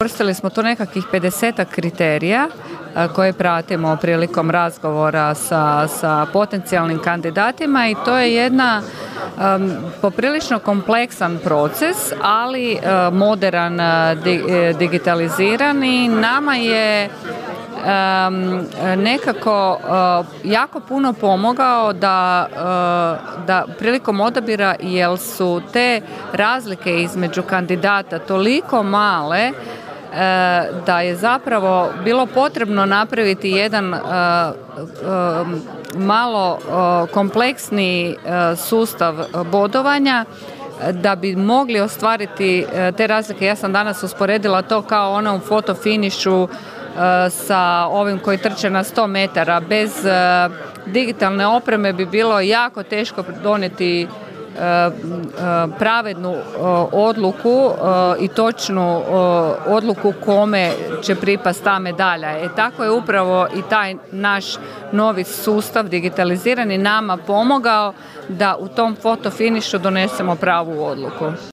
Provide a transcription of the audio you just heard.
Koristili smo tu nekakvih 50 kriterija koje pratimo prilikom razgovora sa potencijalnim kandidatima i to je jedna poprilično kompleksan proces, ali moderan, digitaliziran i nama je nekako jako puno pomogao da prilikom odabira, jer su te razlike između kandidata toliko male da je zapravo bilo potrebno napraviti jedan malo kompleksni sustav bodovanja da bi mogli ostvariti te razlike. Ja sam danas usporedila to kao ono u fotofinišu sa ovim koji trče na 100 metara. Bez digitalne opreme bi bilo jako teško donijeti pravednu odluku i točnu odluku kome će pripasti ta medalja. Tako je upravo i taj naš novi sustav digitalizirani nama pomogao da u tom fotofinišu donesemo pravu odluku.